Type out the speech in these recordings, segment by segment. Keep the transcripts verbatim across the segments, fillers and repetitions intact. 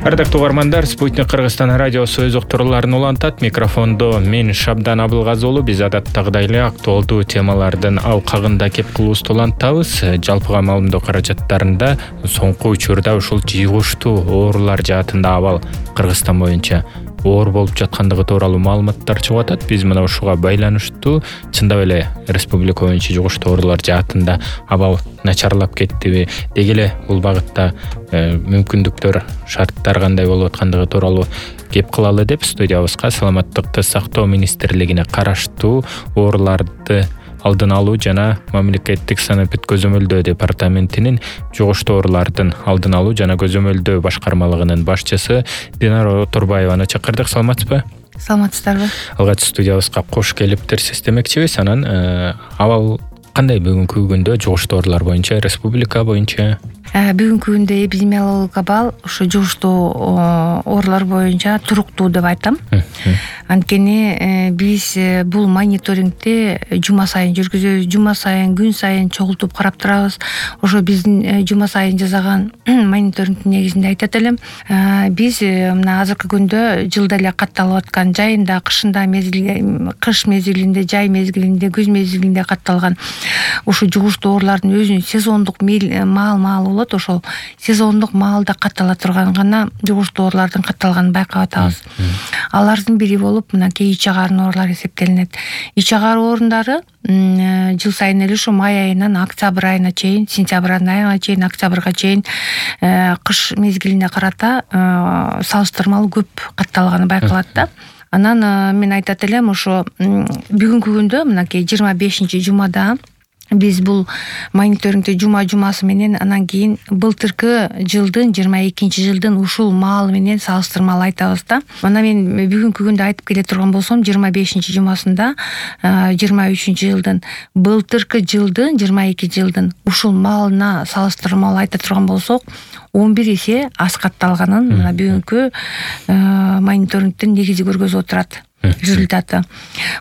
Ардактуу угармандар, Спутник Кыргызстан радиосу өз уктурууларын улантат. Микрофондо мен Шабдан Абылгазы уулу. Биз адаттагыдай эле актуалдуу темалардын алкагында кеп кылуубузду улантабыз. Жалпыга маалымдоо каражаттарында соңку учурда ушул жугуштуу оорулар жаатында абал Кыргызстан боюнча оор болуп жаткандыгы тууралуу маалыматтар чыгып атат. Биз мына ушуга байланыштуу чындап эле республика боюнча жугуштуу оорулар жаатында абал начарлап кеттиби, деги эле бул багытта мүмкүндүктөр, шарттар кандай болуп аткандыгы тууралуу кеп кылалы деп студиябызга Саламаттыкты сактоо министрлигине караштуу ооруларды алдын алуу жана мамлекеттик санапит көзөмөлдөө департаментинин жугуштуу оорулардын алдын алуу жана көзөмөлдөө башкармалыгынын башчысы Динара Турбаеваны чакырдык. Саламатсызбы? Саламатсыздарбы? Алгач студиябызга кош келиптирсиз демекчибиз. Анан абал кандай бүгүнкү күндө жугуштуу оорулар боюнча республика боюнча? Бүгүнкү күндө эпидемиологиялык абал ушу жугуштуу оорулар боюнча туруктуу деп айтам. Анткени биз бул мониторингди жума сайын жүргүзөбүз, жума сайын, күн сайын чогултуп карап турабыз. Ошо биздин жума сайын жасаган мониторингдин негизинде айтат элем. Биз мына азыркы күндө жылда эле катталып аткан жайында, кышында, мезгил кыш мезгилинде, жай мезгилинде, күз мезгилинде катталган ушу жугуштуу оорулардын өзүнүн сезондук маал-маалы болот. Ошол сезондук маалда каттала турган гана жугуштуу оорулардын катталганын байкап атабыз. Алардын бири болуп мынакей ич агаарын оорулары эсептелинет. Ич агар оорундары жыл сайын эле ушу май айынан октябрь айына чейин, сентябрь айына чейин, октябрга чейин кыш мезгилине карата салыштырмалуу көп катталганы байкалат да. Анан мен айтат элем, ошо бүгүнкү күндө мынакей жыйырма бешинчи жумада биз бул мониторингди жума-жумасы менен, анан кийин былтыркы жылдын жыйырма экинчи жылдын ушул маалы менен салыштырмалуу айтабыз да. Мына мен бүгүнкү күндө айтып келе турган болсом, жыйырма бешинчи жумасында жыйырма үчүнчү жылдын былтыркы жылдын жыйырма экинчи жылдын ушул маалына салыштырмалуу айта турган болсок, он бир эсе аз катталганын мына бүгүнкү мониторингдин негизи көргөзүп отурат. Результаты.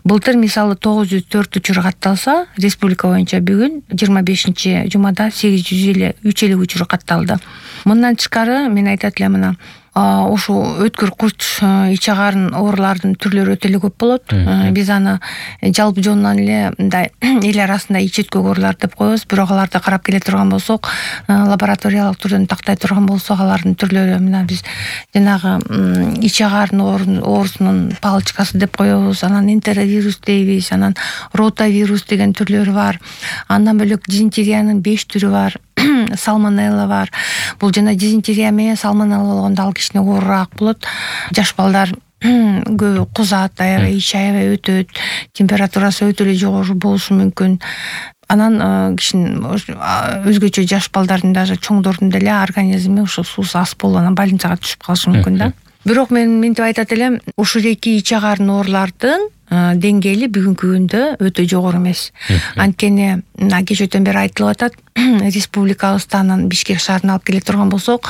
Былтыр мисалы тогуз жүз төрт учур катталса, республика боюнча бүгүн жыйырма бешинчи жумада сегиз жүз элүү үч эле учур катталды. Мындан тышкары мен айтат элем, мына ошу өткүр курч ич агаарын оорулардын түрлөрү өтө эле көп болот. Биз аны жалпы жонунан эле мындай эл арасында ич өткүр оорулар деп коебуз. Бирок аларды карап келе турган болсок, лабораториялык түрдөн тактай турган болсок, алардын түрлөрү мына биз жанагы ич агаарын оорусунун палочкасы деп коебуз, анан энтеровирус дейбиз, анан ротавирус деген түрлөрү бар. Андан бөлөк дизентериянын беш түрү бар. Салмонелла бар. Бул жана дизентерия менен салмонелла болгондо ал кичине оорураак болот. Жаш балдар көбү кузат, аябай ич аябай өтөт, температурасы өтө эле жогору болушу мүмкүн. Анан кишинин өзгөчө жаш балдардын, даже чоңдордун деле организми ушул суусу аз болуп, анан больницага түшүп калышы мүмкүн да. Бирок мен мынтип айтат элем, ушул эки ич агаарын оорулардын деңгээли бүгүнкү күндө өтө жогору эмес. Анткени мына кечөөтөн бери айтылып атат, республикабыздан Бишкек шаарына алып келе турган болсок,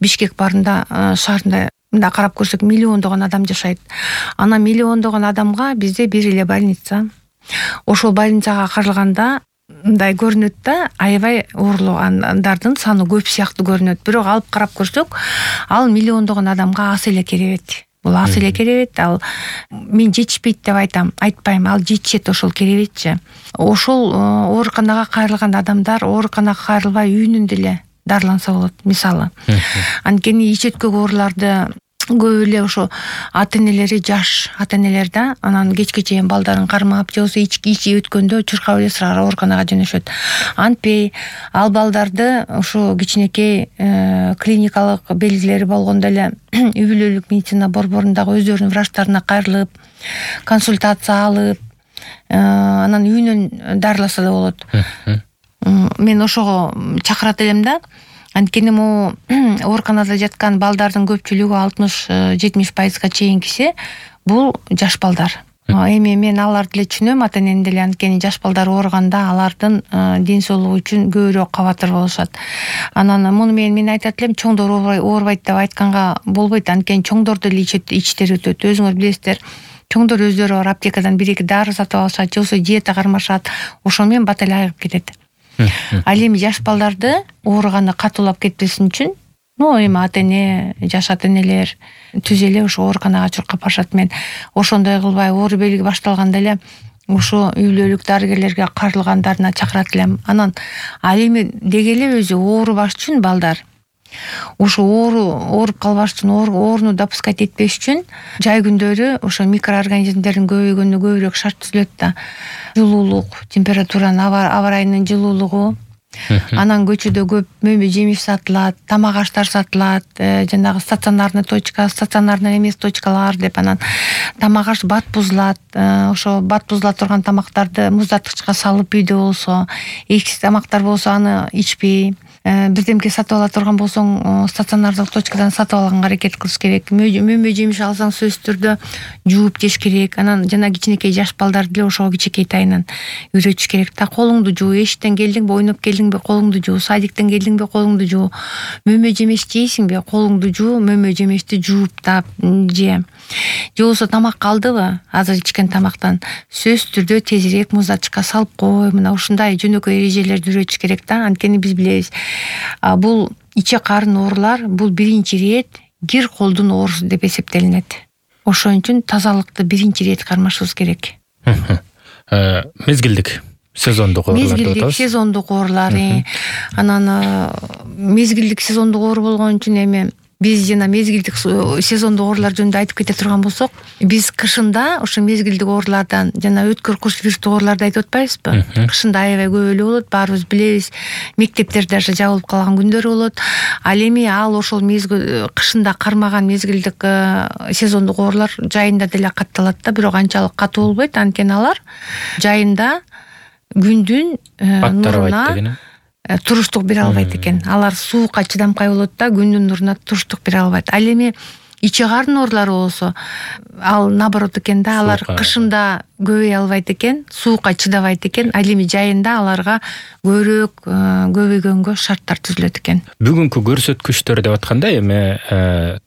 Бишкек баарында шаарында мында карап көрсөк миллиондогон адам жашайт. Ана миллиондогон адамга бизде бир эле больница. Ошол больницага каралганда мындай көрүнөт да, аябай ооругандардын саны көп сыяктуу көрүнөт. Бирок алып карап көрсөк, ал миллиондогон адамга аз эле керебет. Бул аз эле керебет. Ал мен жетишпейт деп айтам, айтпайм, ал жетишет ошол керебетчи. Ошол ооруканага кайрылган адамдар ооруканага кайрылбай үйүнүндө эле дарыланса болот, мисалы. Анткени ич өткүр ооруларды көп эле ошо ата-энелери жаш ата-энелер да, анан кечке чейин балдарын кармап, же болбосо ичи өткөндө чуркап эле сыргара ооруканага жөнөшөт. Антпей ал балдарды ошо кичинекей клиникалык белгилери болгондо эле үй бүлөлүк медицина борборундагы өздөрүнүн врачтарына кайрылып, консультация алып, анан үйүнөн дарыласа да болот. Мен ошого чакырат элем да. Анткени могу ооруканада жаткан балдардын көпчүлүгү алтымыш жетимиш пайызга чейинкиси бул жаш балдар. Эми мен аларды деле түшүнөм, ата-энени деле, анткени жаш балдар ооруганда алардын ден соолугу үчүн көбүрөөк кабатыр болушат. Анан муну менен мен айтат элем, чоңдор оорубайт деп айтканга болбойт, анткени чоңдор деле ичтери өтөт. Өзүңөр билесиздер, чоңдор өздөрү бар аптекадан бир эки дары сатып алышат, же болбосо диета кармашат, ошо менен бат эле айыгып кетет. Ал эми жаш балдарды ооруганы катуулап кетпесин үчүн, ну эми ата эне, жаш ата энелер түз эле ошо ооруканага чуркап барышат. Мен ошондой кылбай оору белги башталганда эле ошо үйлөлүк дарыгерлерге карылгандарына чакырат элем. Анан ал эми деги эле өзү оорубаш үчүн балдар ошо оору ооруп калбаш үчүн, ооруну допускать этпеш үчүн жай күндөрү ошо микроорганизмдердин көбөйгөнүнө көбүрөөк шарт түзүлөт да. Жылуулук, температуранын, аба ырайынын жылуулугу, анан көчөдө көп мөмө жемиш сатылат, тамак аштар сатылат, жанагы стационарный точка, стационарный эмес точкалар деп, анан тамак аш бат бузулат. Ошо бат бузула турган тамактарды муздаткычка салып үйдө болсо, эчки тамактар болсо аны ичпей, бирдемке сатып ала турган болсоң стационардык точкадан сатып алганга аракет кылыш керек. Мөмө жемиш алсаң сөзсүз түрдө жууп жеш керек. Анан жана кичинекей жаш балдарды деле ошого кичинекей тайынан үйрөтүш керек да. Колуңду жуу, эшиктен келдиңби, ойноп келдиңби, колуңду жуу, садиктен келдиңби, колуңду жуу, мөмө жемеш жейсиңби, колуңду жуу, мөмө жемешти жууптап же. Же болбосо тамак калдыбы, азыр ичкен тамактан сөзсүз түрдө тезирээк муздатчыкка салып кой. Мына ушундай жөнөкөй эрежелерди үйрөтүш керек да. Анткени биз билебиз, бул ичек карын оорулар бул биринчи ирет кир колдун оорусу деп эсептелинет. Ошон үчүн тазалыкты биринчи ирет кармашыбыз керек. Мезгилдик сезондук оорулар деп атабыз. Мезгилдик сезондук оорулар. Анан мезгилдик сезондук оору болгон үчүн эми биз жана мезгилдик сезондук оорулар жөнүндө айтып кете турган болсок, биз кышында ошо мезгилдик оорулардан жана өткөр куш вирустук ооруларды айтып атпайбызбы? Кышында аябай көп эле болот, баарыбыз билебиз. Мектептер даже жабылып калган күндөр болот. Ал эми ал ошол мезгил кышында кармаган мезгилдик сезондук оорулар жайында деле катталат да, бирок анчалык катуу болбойт. Анткени алар жайында күндүн нуруна туруштук бере албайт экен. Алар суукка чыдамкай болот да, күндүн нуруна туруштук бере албайт. Ал эми ичи карын оорулары болсо, ал наоборот экен да, алар кышында көбөй албайт экен, суукка чыдабайт экен. Ал эми жайында аларга көбүрөөк көбөйгөнгө шарттар түзүлөт экен. Бүгүнкү көрсөткүчтөр деп атканда эми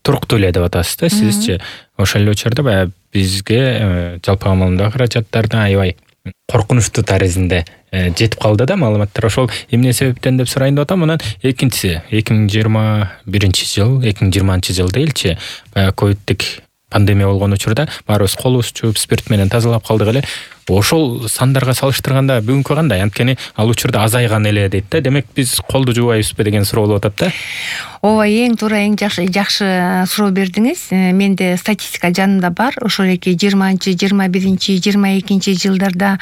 туруктуу эле деп атасыз да, сизчи. Ошол эле учурда баягы бизге жалпы амалында каражаттардын аябай коркунучтуу таризинде жетип калды да маалыматтар. Ошол эмне себептен деп сурайын деп атам. Анан экинчиси эки миң жыйырма биринчи жыл, эки миң жыйырманчы жыл дейилчи, баягы ковидтик пандемия болгон учурда баарыбыз колубуз жууп спирт менен тазалап калдык эле. Ошол сандарга салыштырганда бүгүнкү кандай? Анткени ал учурда азайган эле дейт да. Демек биз колду жуубайбызбы деген суроо болуп атат да. Ооба, эң туура, эң жакшы жакшы суроо бердиңиз. Менде статистика жанымда бар. Ошол эки жыйырманчы, жыйырма биринчи, жыйырма экинчи жылдарда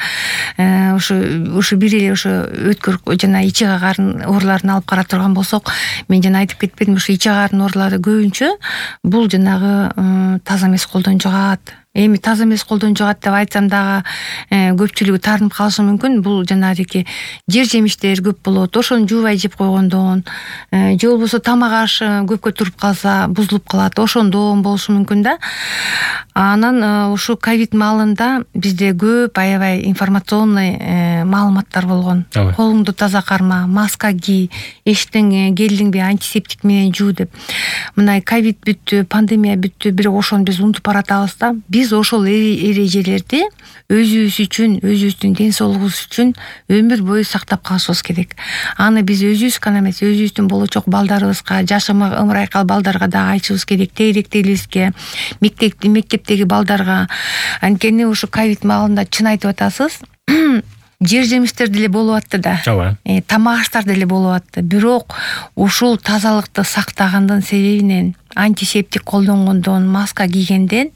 ошо ошо бир эле ошо өткөр жана ичи карын ооруларын алып карап турган болсок, мен жана айтып кетпедимби, ошо ичи карын оорулары көбүнчө бул жанагы таза эмес колдон жугат. Эми таза эмес колдон жугат деп айтсам дагы көпчүлүгү таарынып калышы мүмкүн. Бул жанагы жер жемиштер көп болот, ошону жуубай жеп койгондон, же болбосо тамак аш көпкө туруп калса бузулуп калат, ошондон болушу мүмкүн да. Анан ушу ковид маалында бизде көп аябай информационный маалыматтар болгон. Колуңду таза карма, маска ки, эшиктен келдиңби антисептик менен жуу деп. Мына ковид бүттү, пандемия бүттү, бирок ошону биз унутуп баратабыз да. Биз ошол эрежелерди өзүбүз үчүн, өзүбүздүн ден соолугубуз үчүн өмүр бою сактап калышыбыз керек. Аны биз өзүбүз гана эмес, өзүбүздүн болочок балдарыбызга, жаш ымырайкал балдарга да айтышыбыз керек, тегеректелибизге, мектеп мектептеги балдарга. Анткени ушу ковид маалында чын айтып атасыз, жер жемиштер деле болуп атты да. Ооба. Тамак аштар деле болуп атты. Бирок ушул тазалыкты сактагандын себебинен, антисептик колдонгондон, маска кийгенден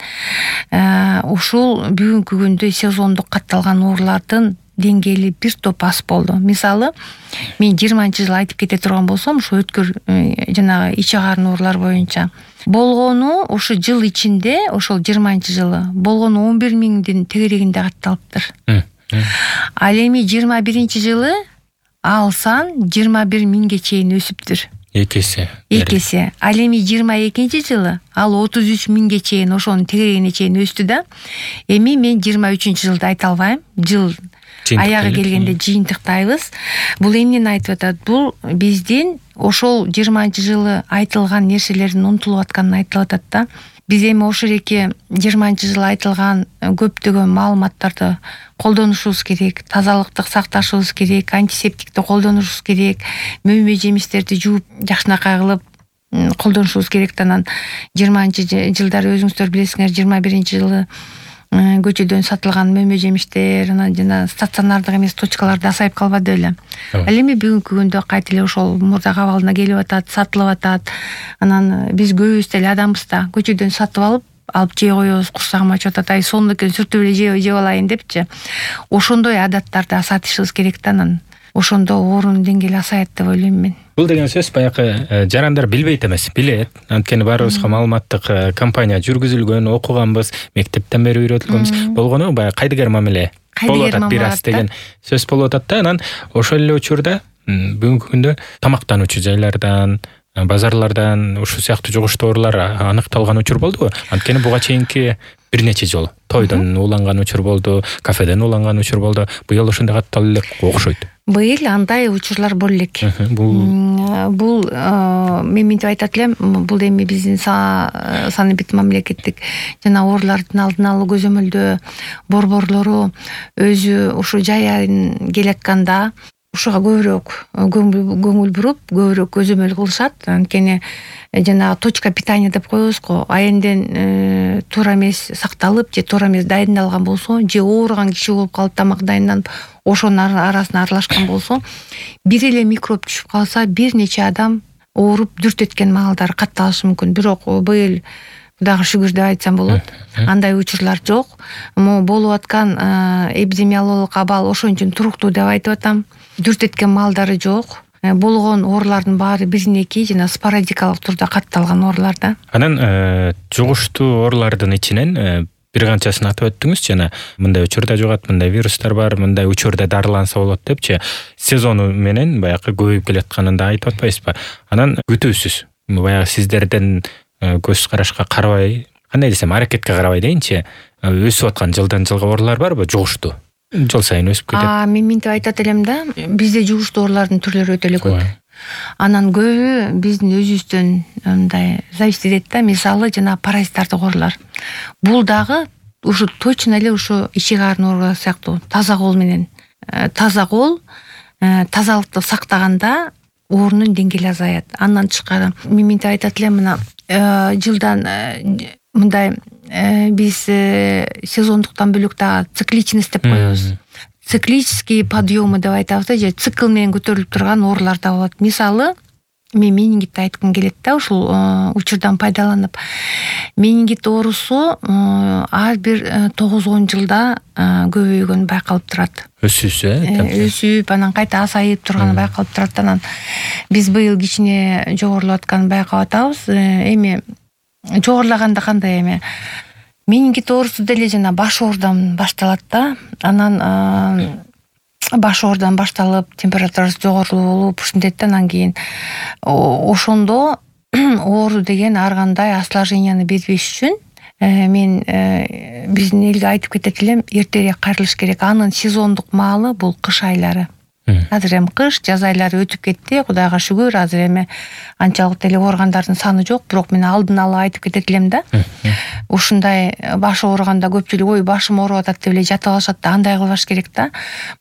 ушул бүгүнкү күндө сезондук катталган оорулардын деңгээли бир топ аз болду. Мисалы, мен жыйырманчы жыл айтып кете турган болсом, ушу өткөр жанагы ичи карын оорулар боюнча болгону ушу жыл ичинде, ошол жыйырманчы жылы болгону он бир миңдин тегерегинде катталыптыр. Ал эми жыйырма биринчи жылы ал сан жыйырма бир миңге чейин өсүптүр. Эки эсе. Эки эсе. Ал эми жыйырма экинчи жылы ал отуз үч миңге чейин, ошонун тегерегине чейин өстү да. Эми мен жыйырма үчүнчү жылды айта албайм. Жыл аягы келгенде жыйынтыктайбыз. Бул эмнени айтып атат? Бул биздин ошол жыйырманчы жылы айтылган нерселердин унутулуп атканын айтылып атат да. Биз эми ошол эки жыйырманчы жылы айтылган көптөгөн маалыматтарды колдонушубуз керек, тазалыкты сакташыбыз керек, антисептикти колдонушубуз керек, мөмө жемиштерди жууп жакшынакай кылып колдонушубуз керек. Анан жыйырманчы жылдары өзүңүздөр билесиңер, жыйырма биринчи жылы көчөдөн сатылган мөмө жемиштер, анан жана стационардык эмес точкаларда азайып калбады беле. Ал эми бүгүнкү күндө кайта эле ошол мурда кабалына келип атат, сатылып атат. Анан биз көбүбүз деле адамбыз да, көчөдөн сатып алып алып жей коебуз, курсагым ачып атат, ай сонунукин сүртүп эле жеп алайын депчи. Ошондой адаттарды азайтышыбыз керек да, анан ошондо оорунун деңгээли азаят деп ойлойм мен. Бул деген сөз баягы жарандар билбейт эмес, билет. Анткени баарыбызга маалыматтык кампания жүргүзүлгөн, окуганбыз, мектептен бери үйрөтүлгөнбүз. Болгону баягы кайдыгер мамиле болуп атат бир аз деген сөз болуп атат да. Анан ошол эле учурда бүгүнкү күндө тамактануучу жайлардан, базарлардан ушул сыяктуу жугуштуу оорулар аныкталган учур болдубу? Анткени буга чейинки бир нече жолу тойдон уланган учур болду, кафеден уланган учур болду. Быйыл ошондой катталып элек окшойт. Быйыл андай учурлар боло элек. Бул бул мен мынтип айтат элем, бул эми биздин саныбит мамлекеттик жана оорулардын алдын алуу көзөмөлдөө борборлору өзү ушу жай айын келатканда ушуга көбүрөөк көңүл буруп, көбүрөөк көзөмөл кылышат. Анткени жана точка питания деп коебуз го, айынден туура эмес сакталып же туура эмес дайындалган болсо, же ооруган киши болуп калып тамак дайындап ошонун арасына аралашкан болсо, бир эле микроб түшүп калса, бир нече адам ооруп дүртөткөн маалдары катталышы мүмкүн. Бирок быйыл Кудайга шүгүр деп айтсам болот. Андай учурлар жок. Могу болуп аткан эпидемиологиялык абал ошончун туруктуу деп айтып атам. Дүртөткөн маалдары жок. Болгон оорулардын баары биринеки жана спорадикалык турда катталган оорулар да. Анан жугуштуу оорулардын ичинен бир канчасын атып өттүңүз, жана мындай учурда жугат, мындай вирустар бар, мындай учурда дарыланса болот депчи, сезону менен баягы көбөйүп келатканын да айтып атпайсызбы? Анан күтүүсүз баягы сиздерден көз карашка карабай, кандай десем, аракетке карабай дейинчи, өсүп аткан жылдан жылга оорулар барбы? Жугуштуу жыл сайын өсүп кетет. А мен мынтип айтат элем да, бизде жугуштуу оорулардын түрлөрү өтө эле көп. Анан көбү биздин өзүбүздөн мындай зависит этет да. Мисалы жана паразиттардык оорулар. Бул дагы ушу точно эле ушу ичек аарынын оорулары сыяктуу таза кол менен, таза кол, тазалыкты сактаганда оорунун деңгээли азаят. Андан тышкары мен мынтип айтат элем, мына жылдан мындай биз сезондуктан бөлөк дагы цикличность деп коебуз. Циклический подъемы деп айтабыз, же цикл менен көтөрүлүп турган оорулар да болот. Мисалы, мен менингитти айткым келет да, ушул учурдан пайдаланып. Менингит оорусу ар бир тогуз он жылда көбөйгөнү байкалып турат. Өсүүсү, э? Өсүп, анан кайта азайып турганы байкалып турат. Анан биз быйыл кичине жогорулап атканын байкап атабыз. Эми жогорулаганда кандай эми менингит оорусу деле жана баш оорудан башталат да. Анан баш оорудан башталып, температурасы жогору болуп, ушинтет да. Анан кийин ошондо оору деген ар кандай осложненияны бербеш үчүн мен биздин элге айтып кетет элем, эртерээк кайрылыш керек. Анын сезондук маалы бул кыш айлары. Азыр эми кыш, жаз айлары өтүп кетти, Кудайга шүгүр. Азыр эми анчалык деле ооругандардын саны жок, бирок мен алдын ала айтып кетет элем да. Ушундай баш ооруганда көпчүлүк ой башым ооруп атат деп эле жатып алышат да, андай кылбаш керек да.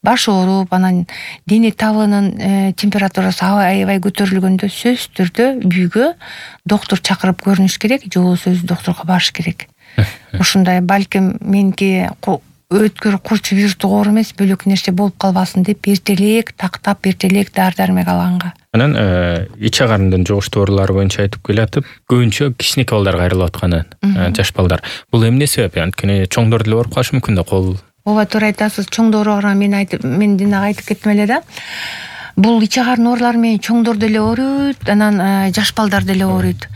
Баш ооруп, анан дене табынын температурасы аябай көтөрүлгөндө сөзсүз түрдө үйгө доктур чакырып көрүнүш керек, же болбосо өзү доктурга барыш керек. Ушундай балким меники өткөр курч вирустук оору эмес, бөлөк нерсе болуп калбасын деп эртелээк тактап, эртелээк дары-дармек алганга. Анан ичек арындын жугуштуу оорулары боюнча айтып келатып, көбүнчө кичинекей балдарга кайрылып атканы, жаш балдар. Бул эмне себеп? Анткени чоңдор деле ооруп калышы мүмкүн да, кол. Ооба, туура айтасыз. Чоңдор ооруган мен айтып, мен динага айтып кеттим эле да. Бул ичек арынын оорулары менен чоңдор деле ооруйт, анан жаш балдар деле ооруйт.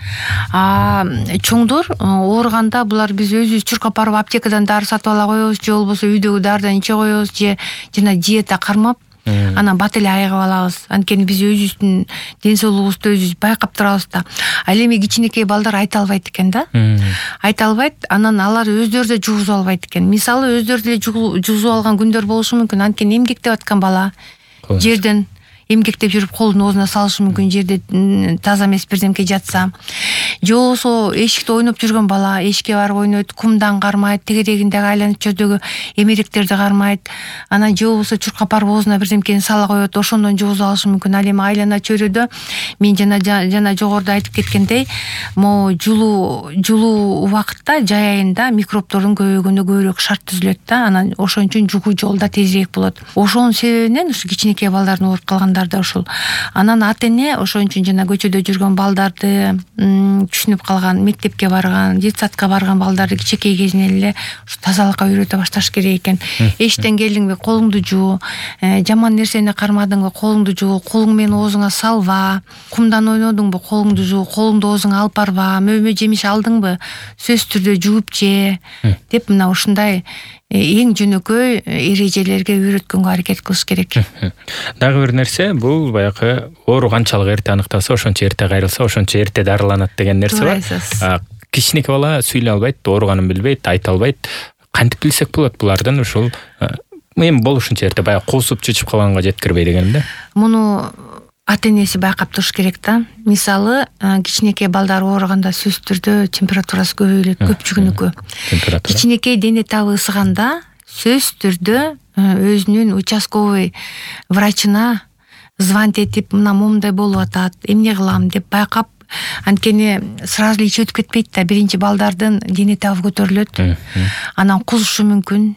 А чоңдор ооруганда булар биз өзүбүз чуркап барып аптекадан дары сатып ала коебуз, же болбосо үйдөгү дарыдан иче коебуз, же жана диета кармап анан бат эле айыгып алабыз. Анткени биз өзүбүздүн ден соолугубузду өзүбүз байкап турабыз да. Ал эми кичинекей балдар айта албайт экен да. Айта албайт, анан алар өздөрү да жугузуп албайт экен. Мисалы өздөрү деле жугузуп алган күндөр болушу мүмкүн. Анткени эмгектеп аткан бала жерден эмгектеп жүрүп колун оозуна салышы мүмкүн, жерде таза эмес бирдемке жатса. Же болбосо эшикте ойноп жүргөн бала эшикке барып ойнойт, кумдан кармайт, тегерегиндеги айланып жердеги эмеректерди кармайт. Анан же болбосо чуркап барып оозуна бирдемкени сала коет, ошондон жугузуп алышы мүмкүн. Ал эми айлана чөйрөдө мен жана жана жогоруда айтып кеткендей, могу жылуу жылуу убакытта жай айында микробтордун көбөйгөнү көбүрөөк шарт түзүлөт да. Анан ошон үчүн жугуу жол да тезирээк болот. Ошонун себебинен ушу кичинекей балдардын ооруп калгандары да ушул. Анан ата эне ошон үчүн жана көчөдө жүргөн балдарды, түшүнүп калган, мектепке барган, детсадка барган балдарды кичинекей кезинен эле ушу тазалыкка үйрөтө башташ керек экен. Эштен келдиңби, колуңду жуу, жаман нерсени кармадыңбы, колуңду жуу, колуң менен оозуңа салба, кумдан ойнодуңбу, колуңду жуу, колуңду оозуңа алып барба, мөмө жемиш алдыңбы, сөзсүз түрдө жууп же деп мына ушундай эң жөнөкөй эрежелерге үйрөткөнгө аракет кылыш керек. Дагы бир нерсе, бул баягы оору канчалык эрте аныкталса, ошончо эрте кайрылса, ошончо эрте дарыланат деген нерсе бар. Кичинекей бала сүйлөй албайт, ооруганын билбейт, айта албайт. Кантип билсек болот булардын ушул эми болушунча эрте баягы куусуп чычып калганга жеткирбей дегеним да. Муну ата энеси байкап туруш керек да. Мисалы, кичинекей балдар ооруганда сөзсүз түрдө температурасы көбөйүлөт, көпчүгүнүкү. Кичинекей дене табы ысыганда сөзсүз түрдө өзүнүн участковый врачына звонить этип, мына момундай болуп атат, эмне кылам деп байкап, анткени сразу ич өтүп кетпейт да. Биринчи балдардын дене табы көтөрүлөт, анан кузушу мүмкүн,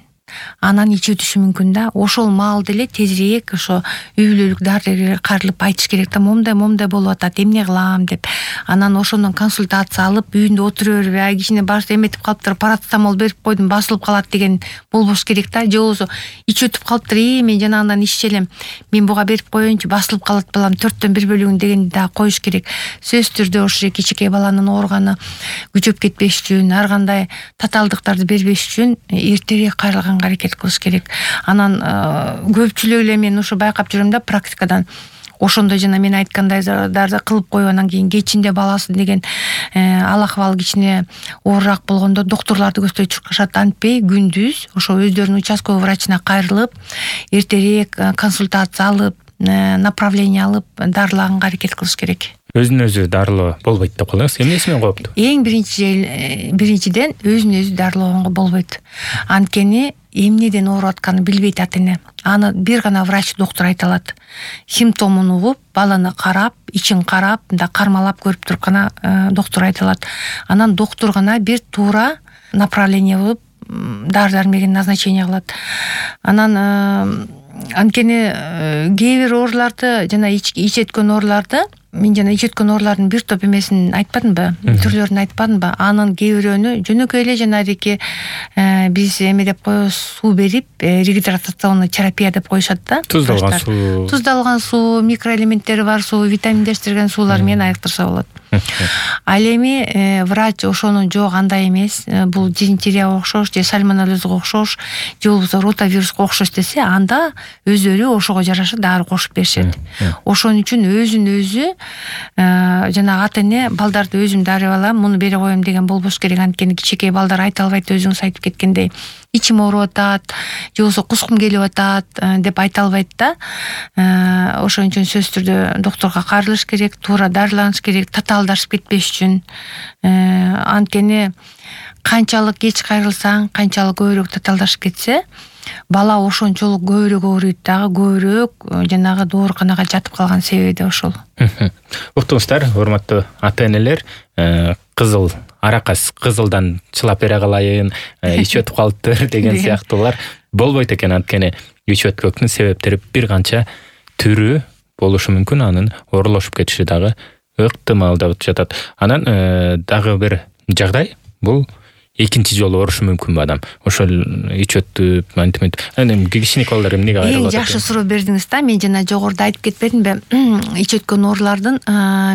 анан ич өтүшү мүмкүн да. Ошол маалда эле тезирээк ошо үй бүлөлүк дарыгерге кайрылып айтыш керек да, момундай момундай болуп атат, эмне кылам деп. Анан ошондон консультация алып, үйүндө отура бербей, ай кичине баш эметип калыптыр, парацетамол берип койдум, басылып калат деген болбош керек да. Же болбосо ич өтүп калыптыр, и мен жанагындан иччелем, мен буга берип коеюнчу, басылып калат балам, төрттөн бир бөлүгүн дегенди да коюш керек. Сөзсүз түрдө ошо кичинекей баланын ооруганы күчөп кетпеш үчүн, ар кандай татаалдыктарды бербеш үчүн эртерээк кайрылган аракет кылыш керек. Анан көпчүлүк эле мен ушу байкап жүрөм да практикадан. Ошондо жана мен айткандайларды кылып коюп анан кийин кечинде баласы деген ал акыбалы кичине оорураак болгондо докторлорду көздөй чуркашат. Антпей күндүз ошо өздөрүнүн участковый врачына кайрылып, эртерээк консультация алып, направление алып, дарылаганга аракет кылыш керек. Өзүн өзү дарылоо болбойт деп коебуз. Эмнеси менен кооптуу? Эң биринчи биринчиден өзүн өзү дарылоого болбойт. Анткени эмнеден ооруп атканын билбейт ата эне. Аны бир гана врач, доктор айта алат. Симптомун угуп, баланы карап, ичин карап, мындай кармалап көрүп туруп гана доктор айта алат. Анан доктор гана бир туура направление болуп, дары-дармегин назначение кылат. Анан анткени кээ бир ооруларды, жана ич өткөн ооруларды, мен жана ич өткөн оорулардын бир топ эмесин айтпадымбы, түрлөрүн айтпадымбы? Анын кээ бирөөнү жөнөкөй эле жанагыдеки биз эме деп коебуз, суу берип, регидратационный терапия деп коюшат да. Туздалган суу. Туздалган суу, микроэлементтери бар суу, витаминдештирген суулар менен айыктырса болот. Ал эми врач ошону жок, андай эмес, бул дизентерияга окшош, же сальмонеллезге окшош, же болбосо ротавируска окшош десе, анда өздөрү ошого жараша дары кошуп беришет. Ошон үчүн өзүн өзү жана ата эне балдарды өзүм дарып алам, муну бере коем деген болбош керек. Анткени кичинекей балдар айта албайт, өзүңүз айтып кеткендей. Ичим ооруп атат, же болбосо кускум келип атат деп айта албайт да. Ошон үчүн сөзсүз түрдө докторго кайрылыш керек, туура дарыланыш керек, татаалдашып кетпеш үчүн. Анткени канчалык кеч кайрылсаң, канчалык көбүрөөк татаалдашып кетсе, бала ошончолук көбүрөөк ооруйт дагы, көбүрөөк жанагы дооруканага жатып калган себеби да ошол. Уктуңуздар, урматтуу ата энелер, кызыл аракас кызылдан чылап бере калайын, ич өтүп калыптыр деген сыяктуулар болбойт экен. Анткени ич өткөктүн себептери бир канча түрү болушу мүмкүн, анын оорулашып кетиши дагы ыктымал деп жатат. Анан дагы бир жагдай, бул экинчи жолу оорушу мүмкүнбү адам? Ошол ич өтүп, антип, эми кичине балдар эмнеге кайрылып атат? Эң жакшы суроо бердиңиз да. Мен жана жогоруда айтып кетпедимби? Ич өткөн оорулардын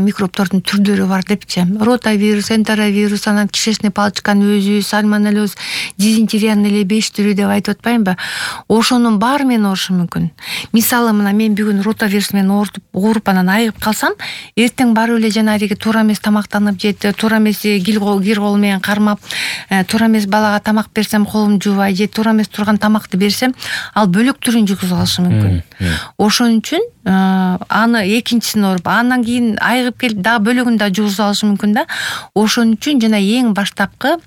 микробтордун түрдөрү бар депчи. Ротавирус, энтеровирус, анан кишечный палочканын өзү, сальмонеллез, дизентериянын эле беш түрү деп айтып атпаймынбы? Ошонун баары менен оорушу мүмкүн. Мисалы, мына мен бүгүн ротавирус менен ооруп, ооруп анан айыгып калсам, эртең барып эле жанагы туура эмес тамактанып жеп, туура эмес кир кол менен кармап, туура эмес балага тамак берсем колум жуубай же туура эмес турган тамакты берсем, ал бөлөк түрүн жугузуп алышы мүмкүн. Ошон үчүн аны экинчисин ооруп, андан кийин айыгып келип дагы бөлөгүн да жугузуп алышы мүмкүн да. Ошон үчүн жана эң баштапкы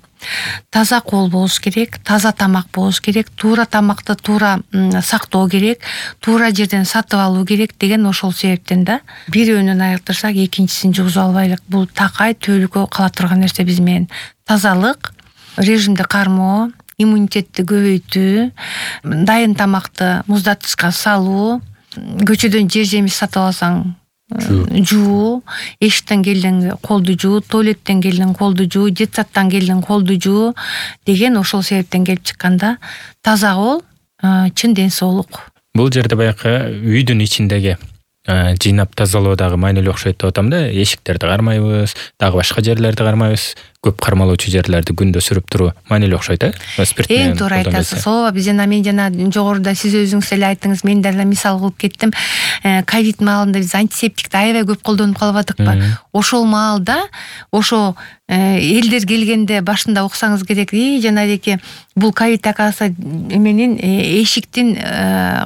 таза кол болуш керек, таза тамак болуш керек, туура тамакты туура сактоо керек, туура жерден сатып алуу керек деген ошол себептен да. Бирөөнөн айыктырсак, экинчисин жугузуп албайлык. Бул такай төлүккө кала турган нерсе биз менен. Тазалык, режимди кармоо, иммунитетти көбөйтүү, дайын тамакты муздатгычка салуу, көчөдөн жер жемиш сатып алсаң жуу, эшиктен келдиң колду жуу, туалеттен келдиң колду жуу, детсадтан келдиң колду жуу деген ошол себептен келип чыкканда, таза кол чын ден соолук. Бул жерде баягы үйдүн ичиндеги жыйнап тазалоодагы маанилүү окшойт деп атам да. Эшиктерди кармайбыз, дагы башка жерлерди кармайбыз. Көп кармалуучу жерлерди күндө сүрүп туруу маанилүү окшойт, э? Спирт менен. Эң туура айтасыз. Ооба, биз жана мен жана жогоруда сиз өзүңүз эле айттыңыз, мен дагы мисал кылып кеттим. Ковид маалында биз антисептикти аябай көп колдонуп калып атыкпы? Ошол маалда, ошо элдер келгенде башында уксаңыз керек, и жанагы бул ковид акасы эменин эшиктин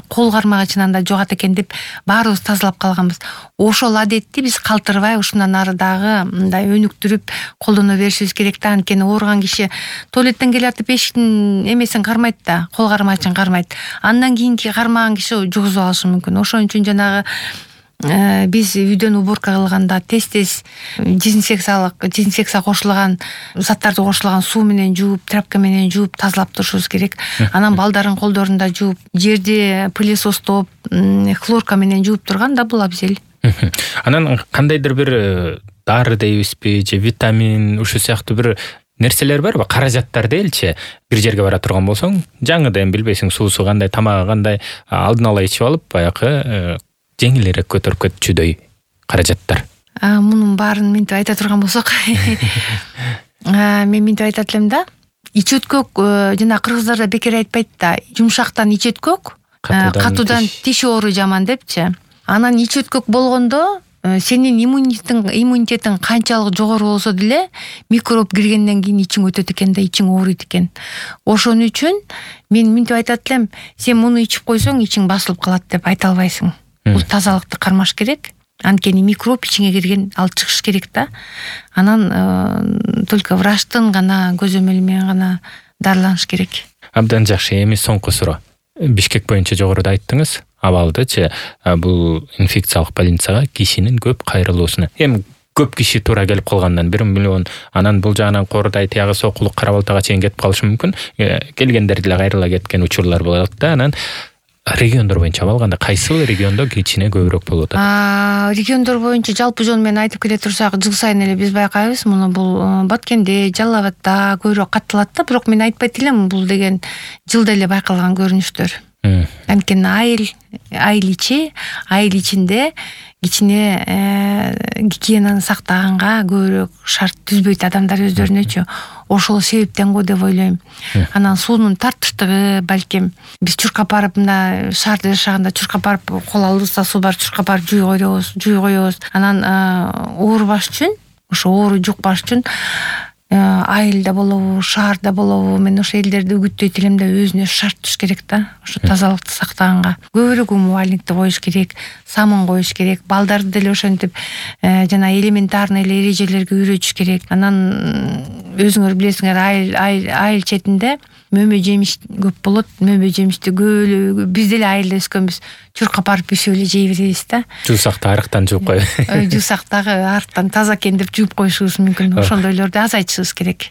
кол кармагычынан да жугат экен деп баарыбыз тазалап калганбыз. Ошол адетти биз калтырбай ушундан ары дагы мындай өнүктүрүп колдоно беришибиз керек да. Анткени ооруган киши туалеттен келатып эшиктин эмесин кармайт да, кол кармагычын кармайт. Андан кийинки кармаган киши жугузуп алышы мүмкүн. Ошон үчүн жанагы биз үйдөн уборка кылганда тез-тез дезинфекциялык, дезинфекция кошулган заттарды кошулган суу менен жууп, тряпка менен жууп тазалап турушубуз керек. Анан балдардын колдорун да жууп, жерди пылесостоп, хлорка менен жууп турган да бул абзел. Анан кандайдыр бир дары дейбизби, же витамин, ушу сыяктуу бир нерселер барбы? Каражаттар делчи. Бир жерге бара турган болсоң, жаңыдан билбейсиң, суусу кандай, тамагы кандай, алдын ала ичип алып, баягы жеңилирээк көтөрүп кетчүдөй каражаттар. Мунун баарын мынтип айта турган болсок, мен мынтип айтат элем да. Ич өткөк жана кыргыздарда бекер айтпайт да, жумшактан ич өткөк, катуудан тиш оору жаман депчи. Анан ич өткөк болгондо сенин иммунитетиң иммунитетиң канчалык жогору болсо деле микроб киргенден кийин ичиң өтөт экен да, ичиң ооруйт экен. Ошон үчүн мен мынтип айтат элем, сен муну ичип койсоң ичиң басылып калат деп айта албайсың. Бул тазалыкты кармаш керек. Анткени микроб ичиңе кирген, ал чыгыш керек да. Анан только врачтын гана көзөмөлү менен гана дарыланыш керек. Абдан жакшы. Эми соңку суроо. Бишкек боюнча жогоруда айттыңыз, абалдычы бул инфекциялык больницага кишинин көп кайрылуусуна. Эми көп киши туура келип калгандан бир миллион, анан бул жагынан Коорудай, тиягы Сокулук, Кара-Балтага чейин кетип калышы мүмкүн. Келгендер деле кайрыла кеткен учурлар болот да. Анан региондор боюнча алганда кайсыл региондо кичине көбүрөөк болуп атат? Региондор боюнча жалпы жол менен айтып келе турсак, жыл сайын эле биз байкайбыз, муну бул Баткенде, Жалал абадда көбүрөөк катталат да, бирок мен айтпайт элем, бул деген жылда эле байкалган көрүнүштөр. Анткени айыл, айыл ичи, айыл ичинде кичине гигиенаны сактаганга көбүрөөк шарт түзбөйт адамдар өздөрүнөчү. Ошол себептен го деп ойлойм. Анан суунун тартыштыгы, балким биз чуркап барып, мына шаарда жашаганда чуркап барып, кол алыбызда суу бар, чуркап барып жуй коебуз, жуй коебуз. Анан оорубаш үчүн, ошо оору жукпаш үчүн айылда болобу, шаарда болобу, мен ошо элдерди үгүттөйт элем да, өзүнө шарт туш керек да, ошо тазалыкты сактаганга. Көбүрөөк умывальникти коюш керек, самын коюш керек, балдарды деле ошентип жана элементарный эле эрежелерге үйрөтүш керек. Анан өзүңөр билесиңер, айыл айыл четинде мөмө жемиш көп болот. Мөмө жемишти көп биз деле айылда өскөнбүз. Чуркап барып үйсүп эле жей беребиз да. Жуусакты арыктан жууп коюп. Жуусактагы арыктан таза экен деп жууп коюшубуз мүмкүн. Ошондойлорду азайтышыбыз керек.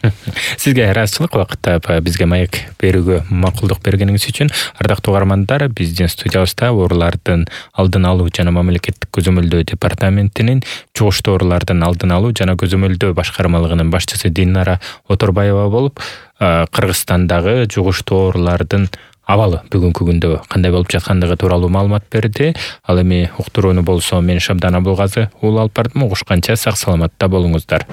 Сизге ыраазычылык, убакытта бизге маек берүүгө макулдук бергениңиз үчүн. Ардактуу угармандар, биздин студиябызда оорулардын алдын алуу жана мамлекеттик көзөмөлдөө департаментинин жугуштуу оорулардын алдын алуу жана көзөмөлдөө башкармалыгынын башчысы Динара Оторбаева болуп, Кыргызстандагы жугуштуу оорулардын абалы бүгүнкү күндө кандай болуп жаткандыгы тууралуу маалымат берди. Ал эми уктурууну болсо мен Шабдан Абылгазы улуу алып бардым. Угушканча сак саламатта болуңуздар.